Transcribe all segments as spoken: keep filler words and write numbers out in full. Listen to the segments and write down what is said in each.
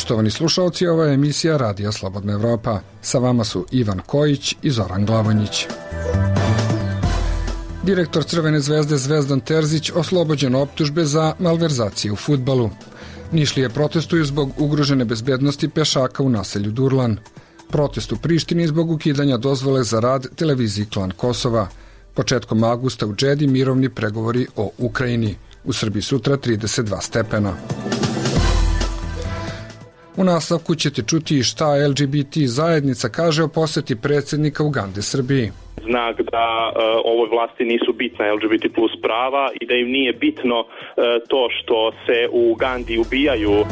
Poštovani slušalci, ova je emisija Radija Slobodna Evropa. Sa vama su Ivan Kojić i Zoran Glavonjić. Direktor Crvene zvezde Zvezdan Terzić oslobođen optužbe za malverzacije u fudbalu. Nišlije protestuju zbog ugrožene bezbednosti pešaka u naselju Durlan. Protest u Prištini zbog ukidanja dozvole za rad televiziji Klan Kosova. Početkom avgusta u Džedi mirovni pregovori o Ukrajini. U Srbiji sutra trideset dva stepena. U nastavku ćete čuti šta L G B T zajednica kaže o poseti predsjednika Ugande Srbiji. Znak da uh, ovoj vlasti nisu bitna L G B T plus prava i da im nije bitno uh, to što se u Ugandi ubijaju.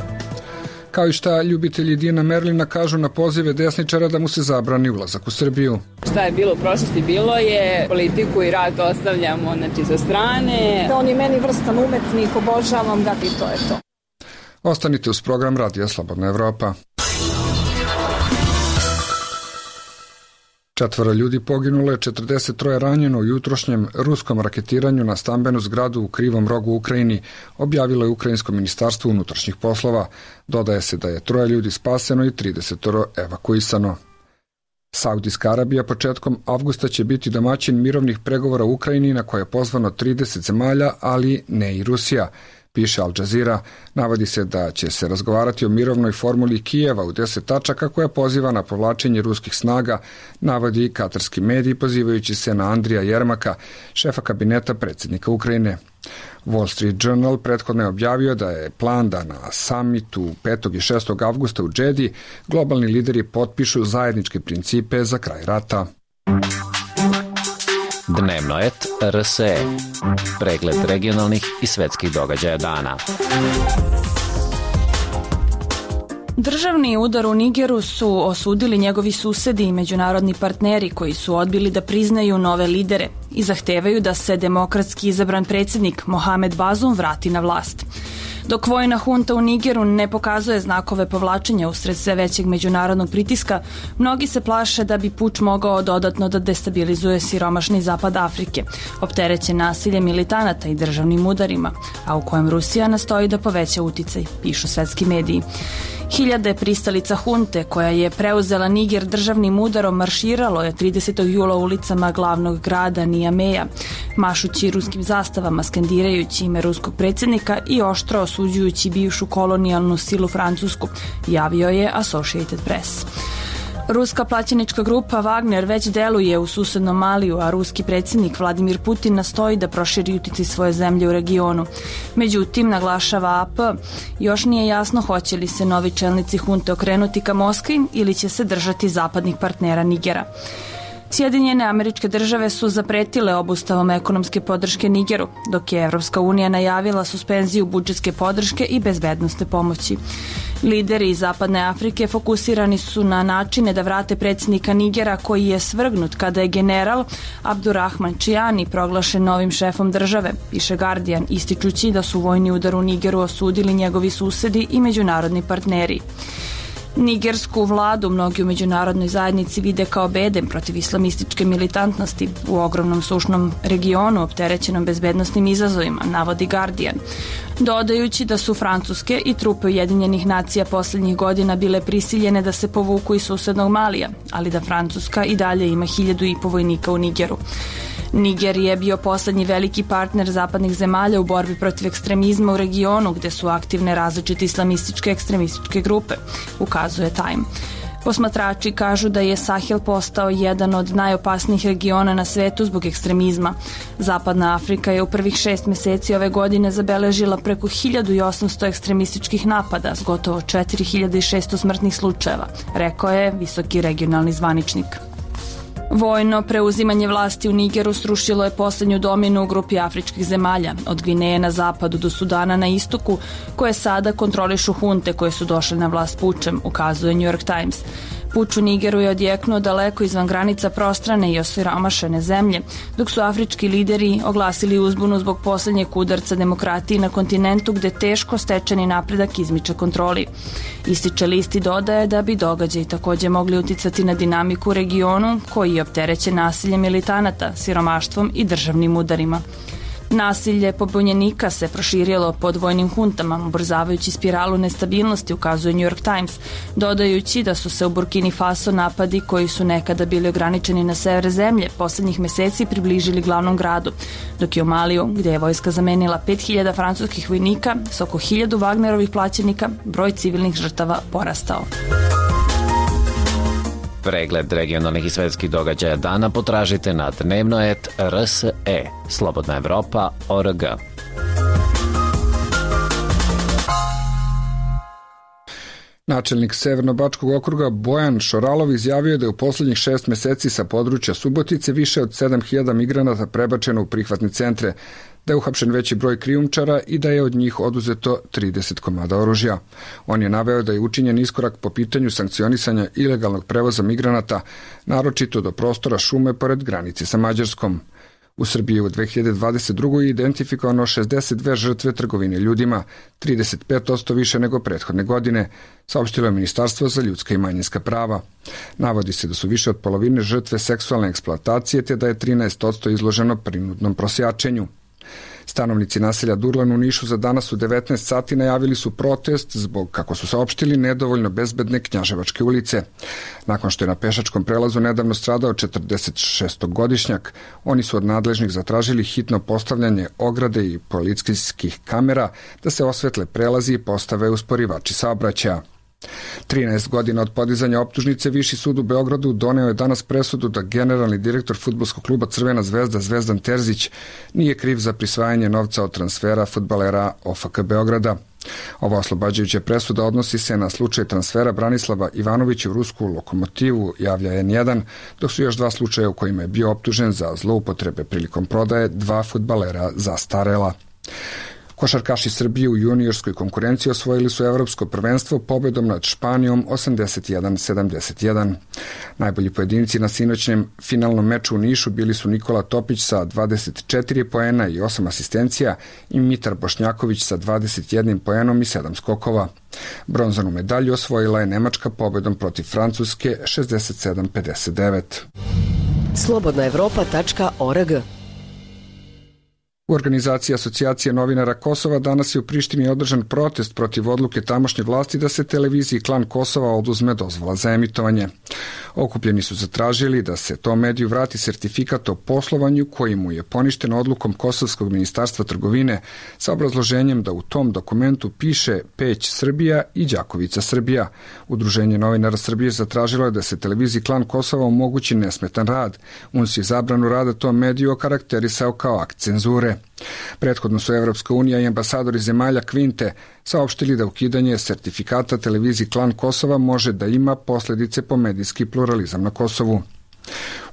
Kao i šta ljubitelji Dina Merlina kažu na pozive desničara da mu se zabrani ulazak u Srbiju. Šta je bilo u prošlosti bilo je, politiku i rad ostavljamo znači, sa strane. On je meni vrstan umetnik, obožavam ga i to je to. Ostanite uz program Radija Slobodna Evropa. Četvoro ljudi poginulo je, četrdeset troje ranjeno u jutrošnjem ruskom raketiranju na stambenu zgradu u Krivom Rogu u Ukrajini, objavilo je Ukrajinsko ministarstvo unutrašnjih poslova. Dodaje se da je troje ljudi spaseno i trideset evakuisano. Saudijska Arabija početkom avgusta će biti domaćin mirovnih pregovora u Ukrajini na koje je pozvano trideset zemalja, ali ne i Rusija. Piše Al Jazeera, navodi se da će se razgovarati o mirovnoj formuli Kijeva u deset tačaka koja poziva na povlačenje ruskih snaga, navodi katarski mediji pozivajući se na Andrija Jermaka, šefa kabineta predsjednika Ukrajine. Wall Street Journal prethodno je objavio da je plan da na samitu petog i šestog avgusta u Džedi globalni lideri potpišu zajedničke principe za kraj rata. Dnevno et R S E. Pregled regionalnih i svetskih događaja dana. Državni udar u Nigeru su osudili njegovi susedi i međunarodni partneri koji su odbili da priznaju nove lidere i zahtevaju da se demokratski izabran predsjednik Mohamed Bazoum vrati na vlast. Dok vojna hunta u Nigeru ne pokazuje znakove povlačenja usred sve većeg međunarodnog pritiska, mnogi se plaše da bi puč mogao dodatno da destabilizuje siromašni zapad Afrike, opterećen nasiljem militanata i državnim udarima, a u kojem Rusija nastoji da poveća uticaj, pišu svetski mediji. Hiljade pristalica hunte koja je preuzela Niger državnim udarom marširalo je tridesetog jula ulicama glavnog grada Niameja, mašući ruskim zastavama, skandirajući ime ruskog predsjednika i oštro osuđujući bivšu kolonijalnu silu Francusku, javio je Associated Press. Ruska plaćenička grupa Wagner već deluje u susednom Maliju, a ruski predsjednik Vladimir Putin nastoji da proširi uticaj svoje zemlje u regionu. Međutim, naglašava A P, još nije jasno hoće li se novi čelnici hunte okrenuti ka Moskvi ili će se držati zapadnih partnera Nigera. Sjedinjene Američke Države su zapretile obustavom ekonomske podrške Nigeru, dok je Evropska unija najavila suspenziju budžetske podrške i bezbednosne pomoći. Lideri iz Zapadne Afrike fokusirani su na načine da vrate predsjednika Nigera koji je svrgnut kada je general Abdurrahman Chiani proglašen novim šefom države, piše Guardian, ističući da su vojni udar u Nigeru osudili njegovi susedi i međunarodni partneri. Nigersku vladu mnogi u međunarodnoj zajednici vide kao bedem protiv islamističke militantnosti u ogromnom sušnom regionu opterećenom bezbednosnim izazovima, navodi Guardian, dodajući da su Francuske i trupe Ujedinjenih nacija posljednjih godina bile prisiljene da se povuku iz susednog Malija, ali da Francuska i dalje ima hiljadu i po vojnika u Nigeru. Niger je bio poslednji veliki partner zapadnih zemalja u borbi protiv ekstremizma u regionu gde su aktivne različite islamističke ekstremističke grupe, ukazuje Time. Posmatrači kažu da je Sahel postao jedan od najopasnijih regiona na svetu zbog ekstremizma. Zapadna Afrika je u prvih šest meseci ove godine zabeležila preko hiljadu osamsto ekstremističkih napada s gotovo četiri hiljade šesto smrtnih slučajeva, rekao je visoki regionalni zvaničnik. Vojno preuzimanje vlasti u Nigeru srušilo je poslednju dominu u grupi afričkih zemalja, od Gvineje na zapadu do Sudana na istoku, koje sada kontrolišu hunte koje su došle na vlast pučem, ukazuje New York Times. Puč u Nigeru je odjeknuo daleko izvan granica prostrane i osiromašene zemlje, dok su afrički lideri oglasili uzbunu zbog poslednjeg udarca demokratiji na kontinentu gde teško stečeni napredak izmiče kontroli. Ističe list i dodaje da bi događaji takođe mogli uticati na dinamiku u regionu koji je opterećen nasiljem militanata, siromaštvom i državnim udarima. Nasilje pobunjenika se proširilo pod vojnim huntama, ubrzavajući spiralu nestabilnosti, ukazuje New York Times, dodajući da su se u Burkini Faso napadi koji su nekada bili ograničeni na sever zemlje poslednjih meseci približili glavnom gradu, dok je u Maliju, gde je vojska zamenila pet hiljada francuskih vojnika s oko hiljadu Wagnerovih plaćenika, broj civilnih žrtava porastao. Pregled regionalnih i svetskih događaja dana potražite na dnevnoet R S E, Slobodna Evropa, O R G. Načelnik Severno-bačkog okruga Bojan Šoralov izjavio da je u poslednjih šest meseci sa područja Subotice više od sedam hiljada migranata prebačeno u prihvatne centre, da je uhapšen veći broj krijumčara i da je od njih oduzeto trideset komada oružja. On je naveo da je učinjen iskorak po pitanju sankcionisanja ilegalnog prevoza migranata, naročito do prostora šume pored granice sa Mađarskom. U Srbiji u dve hiljade dvadeset drugoj je identifikovano šezdeset dve žrtve trgovine ljudima, trideset pet posto više nego prethodne godine, saopštilo je Ministarstvo za ljudska i manjinska prava. Navodi se da su više od polovine žrtve seksualne eksploatacije, te da je trinaest posto izloženo prinudnom prosjačenju. Stanovnici naselja Durlan u Nišu za danas u devetnaest sati najavili su protest zbog, kako su saopštili, nedovoljno bezbedne Knjaževačke ulice. Nakon što je na pešačkom prelazu nedavno stradao četrdesetšestogodišnjak, oni su od nadležnih zatražili hitno postavljanje ograde i policijskih kamera da se osvetle prelazi i postave usporivači saobraćaja. trinaest godina od podizanja optužnice Viši sud u Beogradu doneo je danas presudu da generalni direktor fudbalskog kluba Crvena zvezda Zvezdan Terzić nije kriv za prisvajanje novca od transfera fudbalera O F K Beograda. Ova oslobađajuća presuda odnosi se na slučaj transfera Branislava Ivanovića u rusku Lokomotivu, javlja N jedan, dok su još dva slučaja u kojima je bio optužen za zloupotrebe prilikom prodaje dva fudbalera zastarela. Košarkaši Srbije u juniorskoj konkurenciji osvojili su evropsko prvenstvo pobedom nad Španijom osamdeset jedan sedamdeset jedan. Najbolji pojedinci na sinoćnjem finalnom meču u Nišu bili su Nikola Topić sa dvadeset četiri poena i osam asistencija i Mitar Bošnjaković sa dvadeset jedan poenom i sedam skokova. Bronzanu medalju osvojila je Nemačka pobedom protiv Francuske šezdeset sedam pedeset devet. slobodna evropa tačka org. U organizaciji Asocijacije novinara Kosova danas je u Prištini održan protest protiv odluke tamošnje vlasti da se televiziji Klan Kosova oduzme dozvola za emitovanje. Okupljeni su zatražili da se tom mediju vrati sertifikat o poslovanju koji mu je poništen odlukom Kosovskog ministarstva trgovine sa obrazloženjem da u tom dokumentu piše Peć Srbija i Đakovica Srbija. Udruženje novinara Srbije zatražilo je da se televiziji Klan Kosova omogući nesmetan rad. U N S je zabranu rada tom mediju okarakterisao kao akt cenzure. Prethodno su Evropska unija i ambasadori zemalja Kvinte saopštili da ukidanje sertifikata televiziji Klan Kosova može da ima posledice po medijski pluralizam na Kosovu.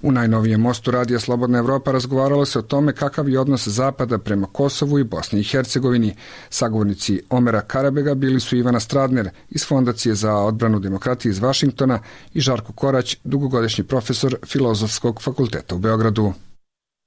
U najnovijem mostu Radija Slobodna Evropa razgovaralo se o tome kakav je odnos Zapada prema Kosovu i Bosni i Hercegovini. Sagovornici Omera Karabega bili su Ivana Stradner iz Fondacije za odbranu demokratije iz Vašingtona i Žarko Korać, dugogodišnji profesor Filozofskog fakulteta u Beogradu.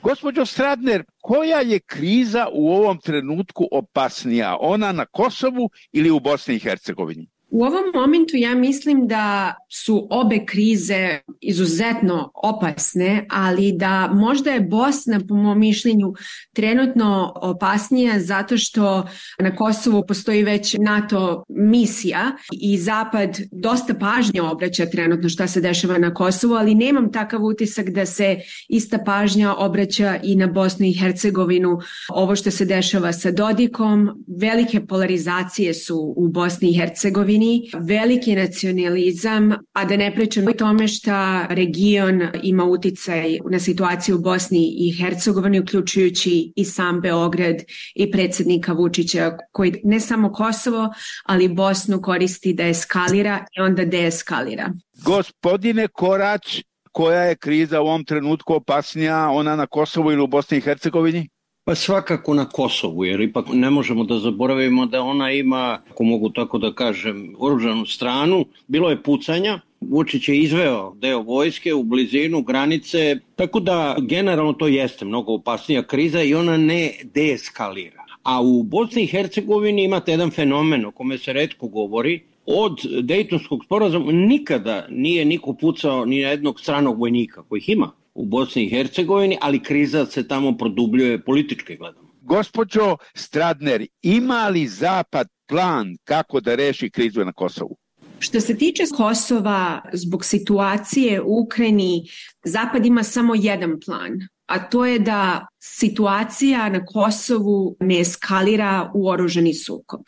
Gospođo Stradner, koja je kriza u ovom trenutku opasnija? Ona na Kosovu ili u Bosni i Hercegovini? U ovom momentu ja mislim da su obe krize izuzetno opasne, ali da možda je Bosna, po mom mišljenju, trenutno opasnija zato što na Kosovu postoji već NATO misija i Zapad dosta pažnje obraća trenutno šta se dešava na Kosovu, ali nemam takav utisak da se ista pažnja obraća i na Bosnu i Hercegovinu. Ovo što se dešava sa Dodikom, velike polarizacije su u Bosni i Hercegovini, veliki nacionalizam, a da ne pričam o tome šta region ima uticaj na situaciju u Bosni i Hercegovini, uključujući i sam Beograd i predsjednika Vučića, koji ne samo Kosovo, ali Bosnu koristi da eskalira i onda deeskalira. Gospodine Korać, koja je kriza u ovom trenutku opasnija, ona na Kosovu ili u Bosni i Hercegovini? Pa svakako na Kosovu, jer ipak ne možemo da zaboravimo da ona ima, ako mogu tako da kažem, oružanu stranu. Bilo je pucanja, Vučić je izveo deo vojske u blizinu granice, tako da generalno to jeste mnogo opasnija kriza i ona ne deeskalira. A u Bosni i Hercegovini imate jedan fenomen o kome se retko govori. Od Dejtonskog sporazuma nikada nije niko pucao ni na jednog stranog vojnika, kojih ima u Bosni i Hercegovini, ali kriza se tamo produbljuje politički gledano. Gospođo Stradner, ima li Zapad plan kako da reši krizu na Kosovu? Što se tiče Kosova, zbog situacije u Ukrajini, Zapad ima samo jedan plan, a to je da situacija na Kosovu ne eskalira u oružani sukob.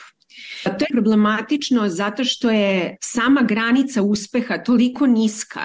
To je problematično zato što je sama granica uspeha toliko niska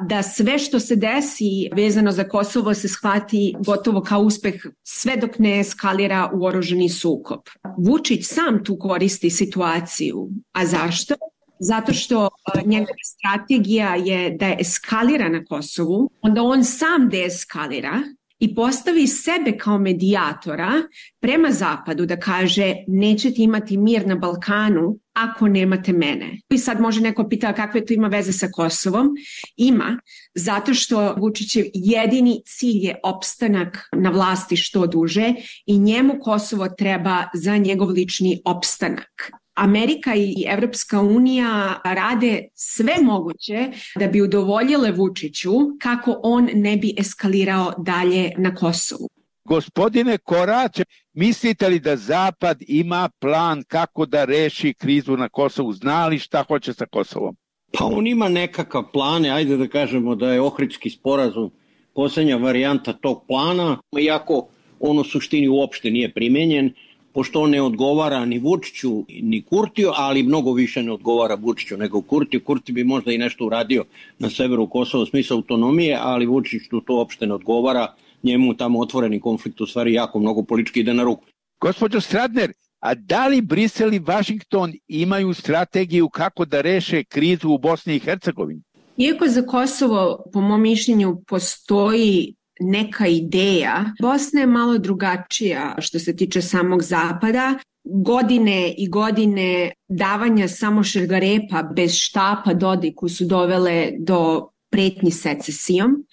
da sve što se desi vezano za Kosovo se shvati gotovo kao uspeh sve dok ne eskalira u oružani sukob. Vučić sam tu koristi situaciju. A zašto? Zato što njegova strategija je da eskalira na Kosovu, onda on sam deeskalira i postavi sebe kao medijatora prema Zapadu da kaže nećete imati mir na Balkanu ako nemate mene. I sad može neko pita kakve to ima veze sa Kosovom. Ima, zato što Vučićev jedini cilj je opstanak na vlasti što duže i njemu Kosovo treba za njegov lični opstanak. Amerika i Evropska unija rade sve moguće da bi udovoljile Vučiću kako on ne bi eskalirao dalje na Kosovu. Gospodine Korać, mislite li da Zapad ima plan kako da reši krizu na Kosovu? Zna li šta hoće sa Kosovom? Pa on ima nekakav plan, ajde da kažemo da je Ohridski sporazum posljednja varijanta tog plana, iako on u suštini uopšte nije primenjen, pošto on ne odgovara ni Vučiću ni Kurtiju, ali mnogo više ne odgovara Vučiću nego Kurtiju. Kurti bi možda i nešto uradio na severu Kosova u smislu autonomije, ali Vučiću to uopšte ne odgovara. Njemu tamo otvoreni konflikt u stvari jako mnogo politički ide na ruku. Gospođo Stradner, a da li Brisel i Vašington imaju strategiju kako da reše krizu u Bosni i Hercegovini? Iako za Kosovo, po mom mišljenju, postoji neka ideja, Bosna je malo drugačija što se tiče samog Zapada. Godine i godine davanja samo šargarepa bez štapa Dodiku su dovele do pretnji secesijom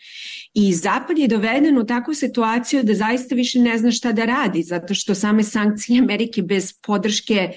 i Zapad je doveden u takvu situaciju da zaista više ne zna šta da radi, zato što same sankcije Amerike bez podrške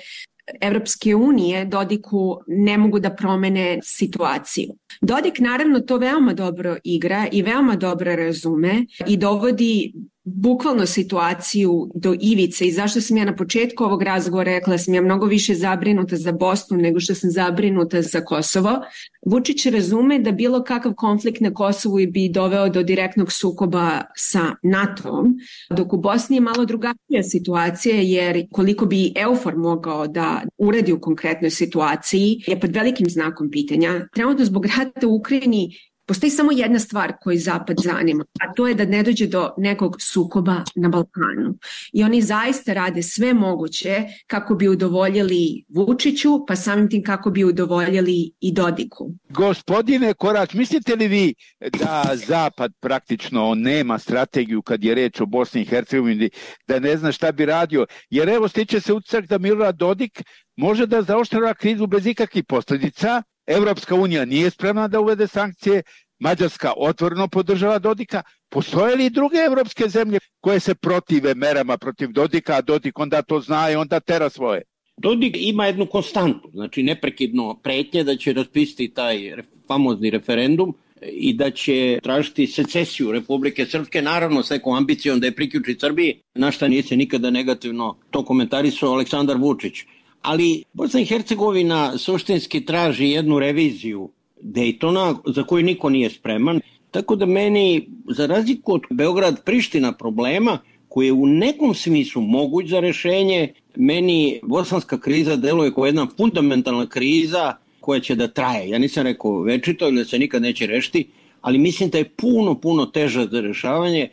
Evropske unije Dodiku ne mogu da promene situaciju. Dodik naravno to veoma dobro igra i veoma dobro razume i dovodi bukvalno situaciju do ivice i zašto sam ja na početku ovog razgovora rekla da sam ja mnogo više zabrinuta za Bosnu nego što sam zabrinuta za Kosovo. Vučić razume da bilo kakav konflikt na Kosovu bi doveo do direktnog sukoba sa NATO-om, dok u Bosni je malo drugačija situacija jer koliko bi EUFOR mogao da uradi u konkretnoj situaciji je pod velikim znakom pitanja. Trenutno zbog rata u Ukrajini postoji samo jedna stvar koju Zapad zanima, a to je da ne dođe do nekog sukoba na Balkanu. I oni zaista rade sve moguće kako bi udovoljili Vučiću, pa samim tim kako bi udovoljili i Dodiku. Gospodine Korać, mislite li vi da Zapad praktično nema strategiju kad je reč o Bosni i Hercegovini, da ne zna šta bi radio? Jer evo stiče se utisak da Milorad Dodik može da zaoštrava krizu bez ikakvih posljedica. Evropska unija nije spremna da uvede sankcije, Mađarska otvoreno podržava Dodika. Postoje li druge evropske zemlje koje se protive merama protiv Dodika, a Dodik onda to zna i onda tera svoje? Dodik ima jednu konstantu, znači neprekidno pretnje da će raspisati taj famozni referendum i da će tražiti secesiju Republike Srpske, naravno s nekom ambicijom da je priključi Srbiji, na šta nije se nikada negativno to komentarisao Aleksandar Vučić. Ali Bosna i Hercegovina suštinski traži jednu reviziju Dejtona za koju niko nije spreman. Tako da meni, za razliku od Beograd-Priština problema, koji je u nekom smislu moguć za rešenje, meni bosanska kriza deluje kao jedna fundamentalna kriza koja će da traje. Ja nisam rekao večito ili da se nikad neće rešiti, ali mislim da je puno, puno teža za rešavanje.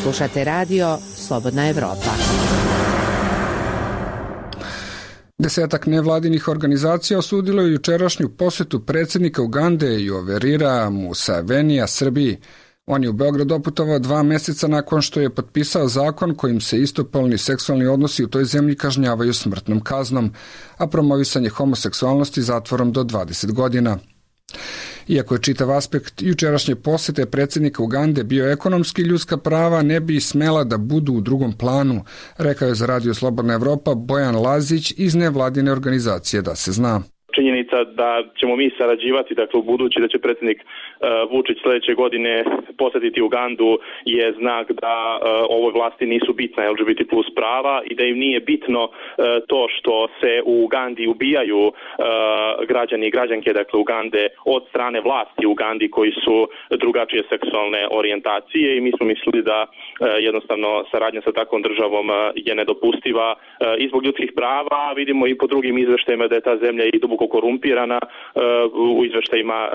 Slušate radio Slobodna Evropa. Desetak nevladinih organizacija osudilo je jučerašnju posetu predsjednika Ugande Yoverira Musevenija Srbiji. On je u Beograd doputovao dva meseca nakon što je potpisao zakon kojim se istopolni seksualni odnosi u toj zemlji kažnjavaju smrtnom kaznom, a promovisanje homoseksualnosti zatvorom do dvadeset godina. Iako je čitav aspekt jučerašnje posete predsjednika Ugande bio ekonomski, ljudska prava ne bi smela da budu u drugom planu, rekao je za Radio Slobodna Evropa Bojan Lazić iz nevladine organizacije Da se zna. činjenica da ćemo mi sarađivati, dakle u budući da će predsjednik uh, Vučić sledeće godine posetiti Ugandu je znak da uh, ovoj vlasti nisu bitna L G B T plus prava i da im nije bitno uh, to što se u Ugandi ubijaju uh, građani i građanke, dakle Ugande, od strane vlasti u Ugandi koji su drugačije seksualne orijentacije i mi smo mislili da uh, jednostavno saradnja sa takvom državom uh, je nedopustiva uh, i zbog ljudskih prava, vidimo i po drugim izveštajima da je ta zemlja i duboko korumpirana uh, u izveštajima uh,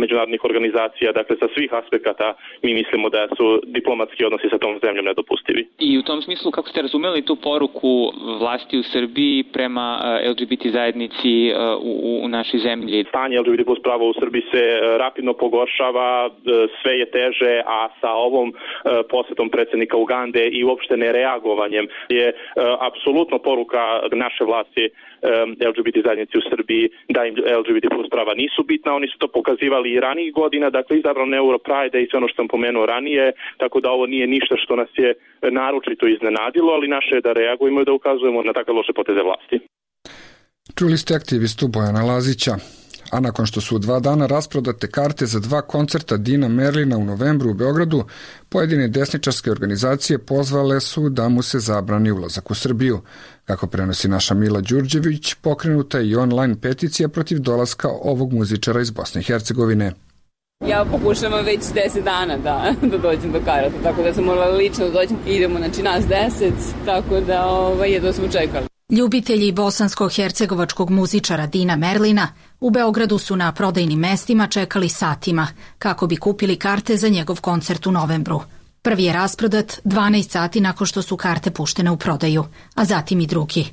međunarodnih organizacija, dakle sa svih aspekata mi mislimo da su diplomatski odnosi sa tom zemljom nedopustivi. I u tom smislu, kako ste razumeli tu poruku vlasti u Srbiji prema uh, L G B T zajednici uh, u, u našoj zemlji? Stanje L G B T plus prava u Srbiji se uh, rapidno pogoršava, uh, sve je teže, a sa ovom uh, posetom predsjednika Ugande i uopšte nereagovanjem je uh, apsolutno poruka naše vlasti L G B T zajednici u Srbiji da im L G B T plus prava nisu bitna, oni su to pokazivali i ranijih godina, dakle izabrano Europride i sve ono što sam pomenuo ranije, tako da ovo nije ništa što nas je naročito iznenadilo, ali naše je da reagujemo i da ukazujemo na takve loše poteze vlasti. Čuli ste aktivistu Bojana Lazića. A nakon što su u dva dana rasprodate karte za dva koncerta Dina Merlina u novembru u Beogradu, pojedine desničarske organizacije pozvale su da mu se zabrani ulazak u Srbiju. Kako prenosi naša Mila Đurđević, pokrenuta je i online peticija protiv dolaska ovog muzičara iz Bosne i Hercegovine. Ja pokušavam već deset dana da, da dođem do karata, tako da sam morala lično da dođem. Idemo, znači nas deset, tako da ovaj, jedno smo čekali. Ljubitelji bosansko-hercegovačkog muzičara Dina Merlina u Beogradu su na prodajnim mestima čekali satima kako bi kupili karte za njegov koncert u novembru. Prvi je rasprodat dvanaest sati nakon što su karte puštene u prodaju, a zatim i drugi.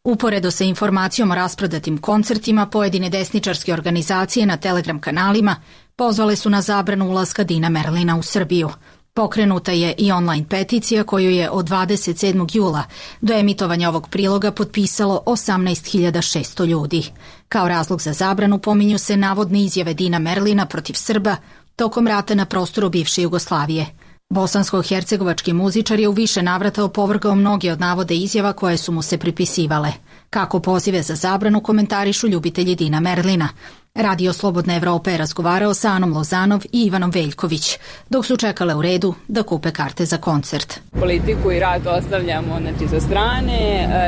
Uporedo sa informacijom o rasprodatim koncertima, pojedine desničarske organizacije na Telegram kanalima pozvale su na zabranu ulaska Dina Merlina u Srbiju. Pokrenuta je i online peticija koju je od dvadeset sedmog jula do emitovanja ovog priloga potpisalo osamnaest hiljada šesto ljudi. Kao razlog za zabranu pominju se navodne izjave Dina Merlina protiv Srba tokom rata na prostoru bivše Jugoslavije. Bosansko-hercegovački muzičar je u više navrata opovrgao mnoge od navode izjava koje su mu se pripisivale. Kako pozive za zabranu komentarišu ljubitelji Dina Merlina. Radio Slobodna Evropa je razgovarao sa Anom Lozanov i Ivanom Veljković, dok su čekale u redu da kupe karte za koncert. Politiku i rat ostavljamo znači, sa strane,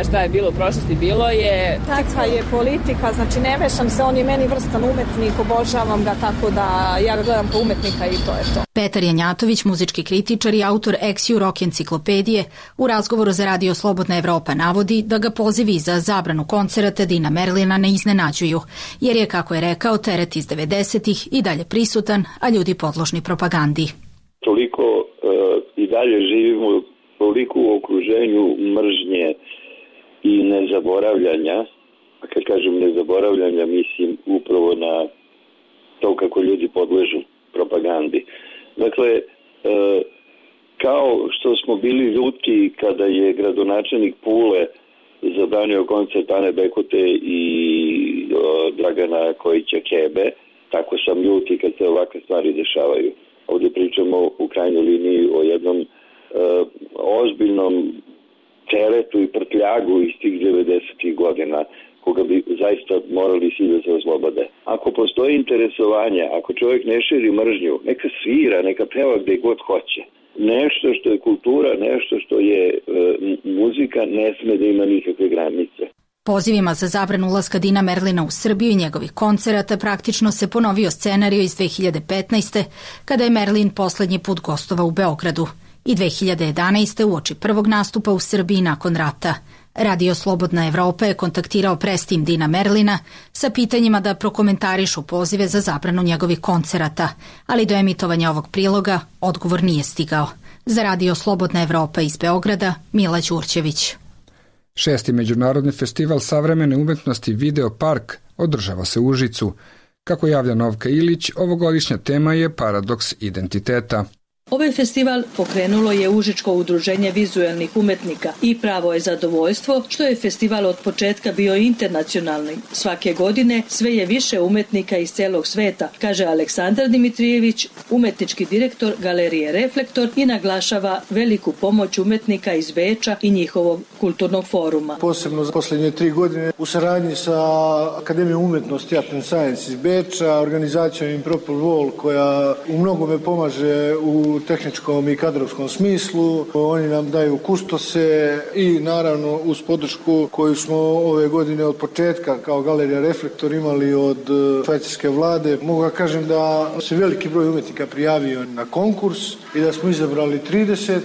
šta je bilo u prošlosti bilo je... Takva je politika, znači ne mešam se, on je meni vrstan umetnik, obožavam ga tako da ja ga gledam kao umetnika i to je to. Petar Janjatović, muzički kritičar i autor Ex-U Rock enciklopedije, u razgovoru za Radio Slobodna Evropa navodi da ga pozivi za zabranu koncerata Dina Merlina ne iznenađuju, jer je, kako je rekao, kao teret iz devedesetih i dalje prisutan, a ljudi podložni propagandi. Toliko uh, i dalje živimo toliko u okruženju mržnje i nezaboravljanja, a kad kažem nezaboravljanja mislim upravo na to kako ljudi podležu propagandi. Dakle, uh, kao što smo bili ljuti kada je gradonačelnik Pule zabranio koncert Ane Bekote i o, Dragana Kojića Kebe, tako sam ljuti kad se ovakve stvari dešavaju. Ovdje pričamo u krajnjoj liniji o jednom e, ozbiljnom teretu i prtljagu iz tih devedesetih godina, koga bi zaista morali svi da se oslobode. Ako postoji interesovanje, ako čovjek ne širi mržnju, neka svira, neka peva gde god hoće. Nešto što je kultura, nešto što je e, muzika, ne sme da ima nikakve granice. Pozivima za zabranu ulaska Dina Merlina u Srbiju i njegovih koncerata praktično se ponovio scenario iz dve hiljade petnaeste. kada je Merlin poslednji put gostovao u Beogradu i dve hiljade jedanaeste. uoči prvog nastupa u Srbiji nakon rata. Radio Slobodna Evropa je kontaktirao prestim Dina Merlina sa pitanjima da prokomentarišu pozive za zabranu njegovih koncerata, ali do emitovanja ovog priloga odgovor nije stigao. Za Radio Slobodna Evropa iz Beograda, Mila Đurđević. Šesti međunarodni festival savremene umetnosti Video Park održava se u Užicu. Kako javlja Novka Ilić, ovogodišnja tema je paradoks identiteta. Ovaj festival pokrenulo je Užičko udruženje vizuelnih umetnika i pravo je zadovoljstvo što je festival od početka bio internacionalni. Svake godine sve je više umetnika iz celog sveta, kaže Aleksandar Dimitrijević, umetnički direktor Galerije Reflektor, i naglašava veliku pomoć umetnika iz Beča i njihovog kulturnog foruma. Posebno za posljednje tri godine u saradnji sa Akademijom umetnosti Art and Science iz Beča, organizacijom Impropel Wall koja u mnogome pomaže u tehničkom i kadrovskom smislu. Oni nam daju kustose i naravno uz podršku koju smo ove godine od početka kao Galerija Reflektor imali od švajcarske vlade. Mogu da kažem da se veliki broj umetnika prijavio na konkurs i da smo izabrali trideset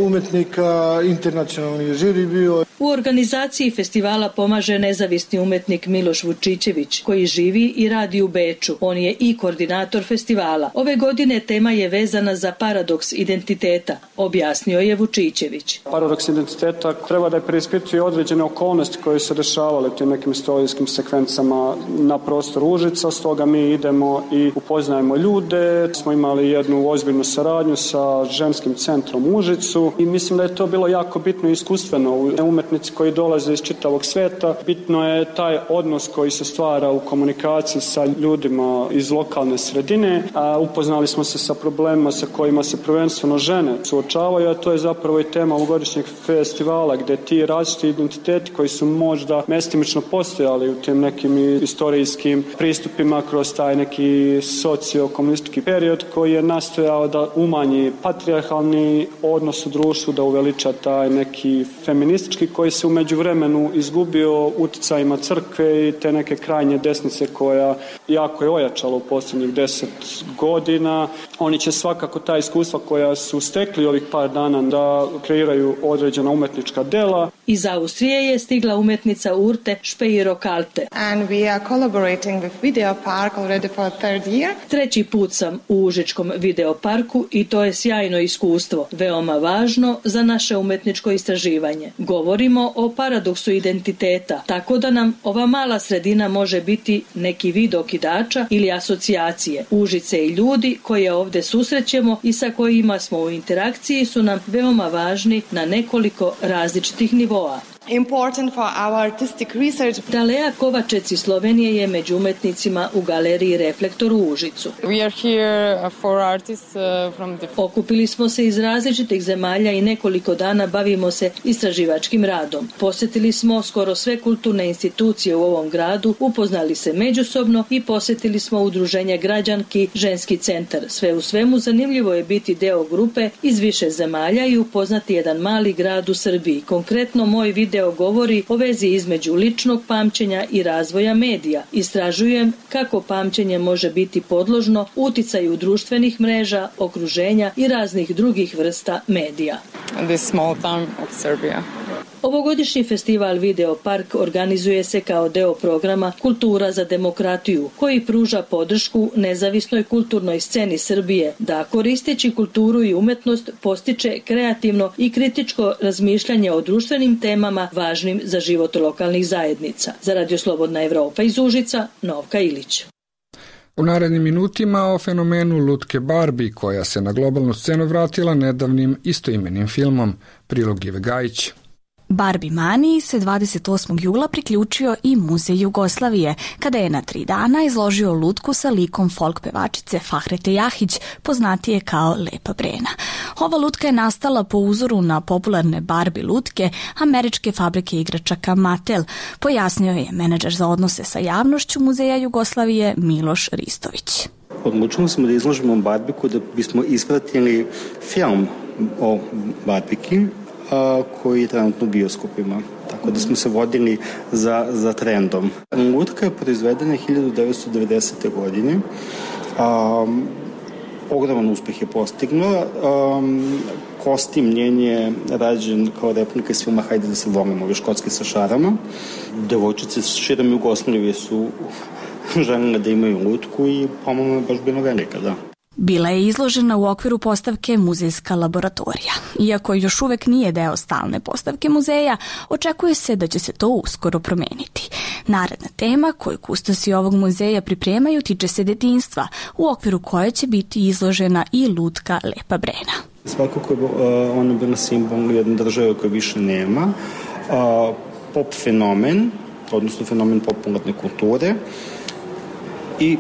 umetnika, internacionalni žiri bio. U organizaciji festivala pomaže nezavisni umetnik Miloš Vučićević, koji živi i radi u Beču. On je i koordinator festivala. Ove godine tema je vezana za paradoks identiteta, objasnio je Vučićević. Paradoks identiteta treba da je preispituje određene okolnosti koje se dešavale u tim nekim istorijskim sekvencama na prostoru Užica, stoga mi idemo i upoznajemo ljude. Smo imali jednu ozbiljnu saradnju sa ženskim centrom u Užicu i mislim da je to bilo jako bitno i iskustveno. Umetnici koji dolaze iz čitavog sveta, bitno je taj odnos koji se stvara u komunikaciji sa ljudima iz lokalne sredine. A upoznali smo se sa problemima sa kojima se prvenstveno žene suočavaju, a to je zapravo i tema ovogodišnjeg festivala, gde ti različiti identiteti koji su možda mestimično postojali u tim nekim istorijskim pristupima kroz taj neki sociokomunistički period koji je nastojao da umanji patrijarhalni odnos u društvu, da uveliča taj neki feministički koji se u međuvremenu izgubio uticajima crkve i te neke krajnje desnice koja jako je ojačala u posljednjih deset godina. Oni će svakako ta iskustva koja su stekli ovih par dana da kreiraju određena umetnička dela. Iz Austrije je stigla umetnica Urte Špeiro-Kalte. And we are collaborating with Video Park already for third year. Treći put sam u Užičkom videoparku i to je sjajno iskustvo, veoma važno za naše umetničko istraživanje. Govorimo o paradoksu identiteta, tako da nam ova mala sredina može biti neki vid okidača ili asocijacije. Užice i ljudi koje ovde susrećemo i sa kojima smo u interakciji su nam veoma važni na nekoliko različitih nivoa. Important for our artistic research. Dalea Kovačec iz Slovenije je među umetnicima u Galeriji Reflektor u Užicu. We are here for artists from the... Okupili smo se iz različitih zemalja i nekoliko dana bavimo se istraživačkim radom. Posjetili smo skoro sve kulturne institucije u ovom gradu, upoznali se međusobno i posjetili smo udruženje građanki Ženski centar. Sve u svemu zanimljivo je biti deo grupe iz više zemalja i upoznati jedan mali grad u Srbiji. Konkretno moj video govori o vezi između ličnog pamćenja i razvoja medija. Istražujem kako pamćenje može biti podložno uticaju društvenih mreža, okruženja i raznih drugih vrsta medija. This small town of Serbia. Ovogodišnji festival Video Park organizuje se kao deo programa Kultura za demokratiju, koji pruža podršku nezavisnoj kulturnoj sceni Srbije, da koristeći kulturu i umetnost postiče kreativno i kritičko razmišljanje o društvenim temama važnim za život lokalnih zajednica. Za Radio Slobodna Evropa iz Užica, Novka Ilić. U narednim minutima o fenomenu lutke Barbie, koja se na globalnu scenu vratila nedavnim istoimenim filmom. Prilog Ive Gajić. Barbie maniji se dvadeset osmog jula priključio i Muzej Jugoslavije, kada je na tri dana izložio lutku sa likom folk pevačice Fahrete Jahić, poznatije kao Lepa Brena. Ova lutka je nastala po uzoru na popularne Barbie lutke američke fabrike igračaka Mattel, pojasnio je menadžer za odnose sa javnošću Muzeja Jugoslavije Miloš Ristović. Odlučili smo da izložimo Barbiku da bismo ispratili film o Barbiki, koji je trenutno u bioskopima. Tako da smo se vodili za, za trendom. Lutka je proizvedena hiljadu devetsto devedesete. godine. Um, ogroman uspeh je postignula. Um, kostim njen je rađen kao replika iz filma Hajde da se volimo, ove škotske sa šarama. Devojčice širom Jugoslavije su željela da imaju lutku i pomalo je baš bilo velika, da. Bila je izložena u okviru postavke Muzejska laboratorija. Iako još uvek nije deo stalne postavke muzeja, očekuje se da će se to uskoro promeniti. Naredna tema koju kustosi ovog muzeja pripremaju tiče se detinjstva, u okviru koje će biti izložena i lutka Lepa Brena. Svakako je ona bila simbol jedne države koje više nema. Pop fenomen, odnosno fenomen popularne kulture i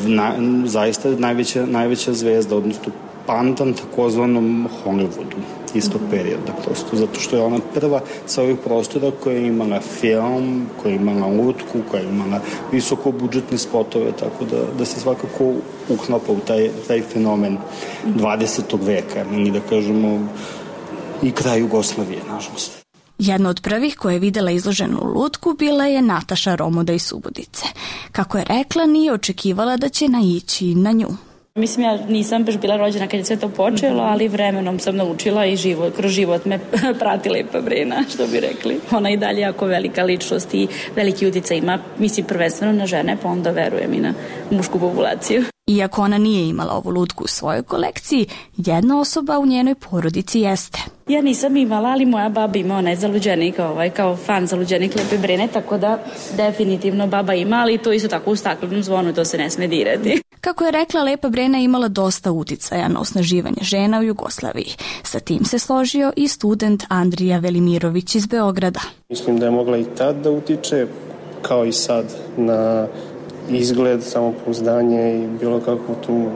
na, zaista najveća, najveća zvezda, odnosno pandan takozvanom Hollywoodu istog perioda, prosto zato što je ona prva sa ovih prostora koja je imala film, koja je imala lutku, koja je imala visoko budžetne spotove, tako da, da se svakako uklapa u taj, taj fenomen dvadesetog veka, ili da kažemo i kraj Jugoslavije, nažalost. Jedna od prvih koja je videla izloženu lutku bila je Nataša Romoda iz Subotice. Kako je rekla, nije očekivala da će naići na nju. Mislim, ja nisam baš bila rođena kad je sve to počelo, ali vremenom sam naučila i život, kroz život me prati Lepa Brena, što bi rekli. Ona i dalje jako velika ličnost i veliki uticaj ima, mislim, prvenstveno na žene, pa onda verujem i na mušku populaciju. Iako ona nije imala ovu lutku u svojoj kolekciji, jedna osoba u njenoj porodici jeste. Ja nisam imala, ali moja baba ima, ona je zaluđenik, ovaj, kao fan zaluđenik Lepe Brene, tako da definitivno baba ima, ali to isto tako u staklenom zvonu, to se ne sme dirati. Kako je rekla, Lepa Brena imala dosta uticaja na osnaživanje žena u Jugoslaviji. Sa tim se složio i student Andrija Velimirović iz Beograda. Mislim da je mogla i tad da utiče, kao i sad, na izgled, samopouzdanje i bilo kakvu tu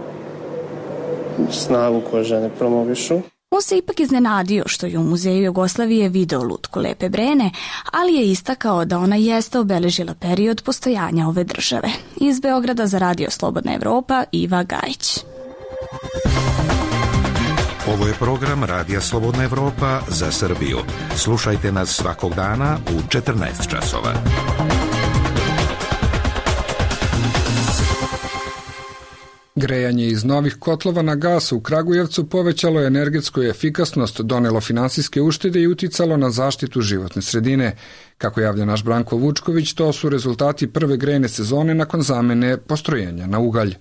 snagu koju žene promovišu. On se ipak iznenadio što je u Muzeju Jugoslavije video lutku Lepe Brene, ali je istakao da ona jeste obeležila period postojanja ove države. Iz Beograda za Radio Slobodna Evropa, Iva Gajić. Ovo je program Radija Slobodna Evropa za Srbiju. Slušajte nas svakog dana u četrnaest časova. Grejanje iz novih kotlova na gas u Kragujevcu povećalo energetsku efikasnost, donelo finansijske uštede i uticalo na zaštitu životne sredine. Kako javlja naš Branko Vučković, to su rezultati prve grejne sezone nakon zamene postrojenja na ugalj.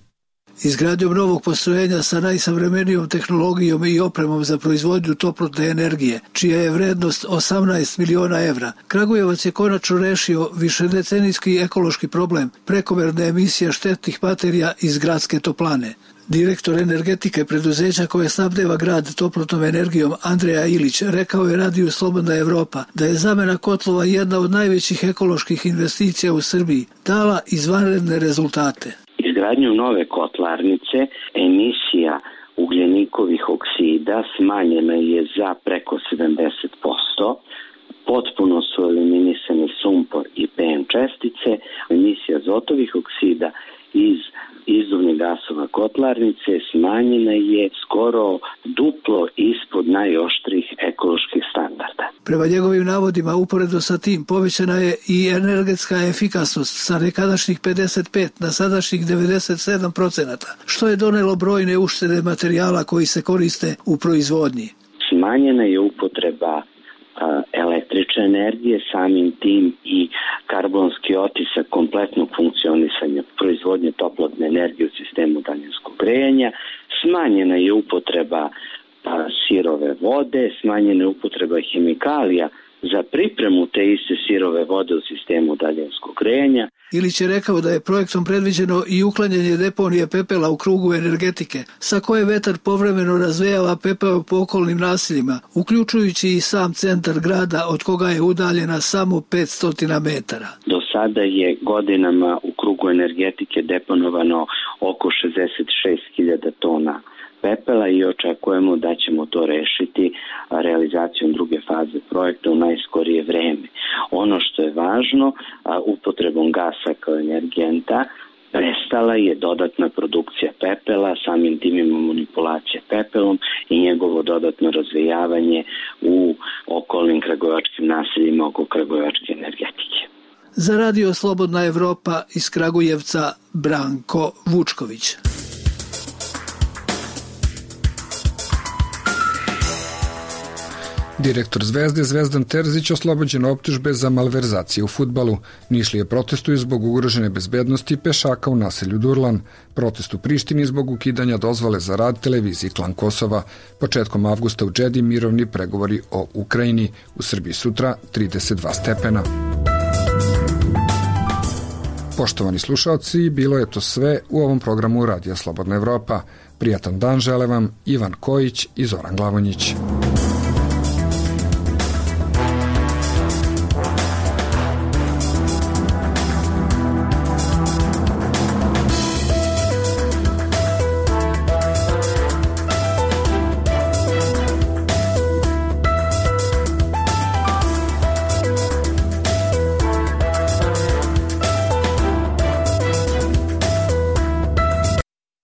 Izgradnjom novog postrojenja sa najsavremenijom tehnologijom i opremom za proizvodnju toplotne energije, čija je vrednost osamnaest miliona evra, Kragujevac je konačno rešio višedecenijski ekološki problem prekomerne emisije štetnih materija iz gradske toplane. Direktor energetike preduzeća koje snabdeva grad toplotnom energijom Andreja Ilić rekao je Radiju Slobodna Evropa da je zamena kotlova jedna od najvećih ekoloških investicija u Srbiji, dala izvanredne rezultate. Izgradnjom nove kotlarnice emisija ugljenikovih oksida smanjena je za preko sedamdeset posto, potpuno su eliminisani sumpor i P M čestice, emisija azotovih oksida iz izduvnih gasova kotlarnice smanjena je skoro duplo ispod najoštrih ekoloških standarda. Prema njegovim navodima, uporedo sa tim povećana je i energetska efikasnost sa nekadašnjih pedeset pet na sadašnjih devedeset sedam procenata, što je donelo brojne uštede materijala koji se koriste u proizvodnji. Smanjena je upotreba električne energije, samim tim i karbonski otisak kompletnog funkcionisanja proizvodnje toplotne energije u sistemu daljinskog grejanja, smanjena je upotreba sirove vode, smanjena je upotreba hemikalija za pripremu te iste sirove vode u sistemu daljinskog grejanja. Ilić je rekao da je projektom predviđeno i uklanjanje deponije pepela u krugu energetike, sa koje vetar povremeno razvejava pepeo po okolnim naseljima, uključujući i sam centar grada od koga je udaljena samo petsto metara. Do sada je godinama u krugu energetike deponovano oko šezdeset šest hiljada tona pepela i očekujemo da ćemo to rešiti realizacijom druge faze projekta u najskorije vreme. Ono što je važno, upotrebom gasa kao energenta prestala je dodatna produkcija pepela, samim tim ima manipulacija pepelom i njegovo dodatno razvijavanje u okolnim kragujevačkim naseljima oko kragujevačke energetike. Za Radio Slobodna Evropa iz Kragujevca, Branko Vučković. Direktor Zvezde Zvezdan Terzić oslobođen optužbe za malverzacije u fudbalu. Nišlije protestuju zbog ugrožene bezbednosti pešaka u naselju Durlan. Protest u Prištini zbog ukidanja dozvole za rad televiziji Klan Kosova. Početkom avgusta u Džedi mirovni pregovori o Ukrajini. U Srbiji sutra trideset dva stepena. Poštovani slušalci, bilo je to sve u ovom programu Radija Slobodna Evropa. Prijatan dan žele vam Ivan Kojić i Zoran Glavonjić.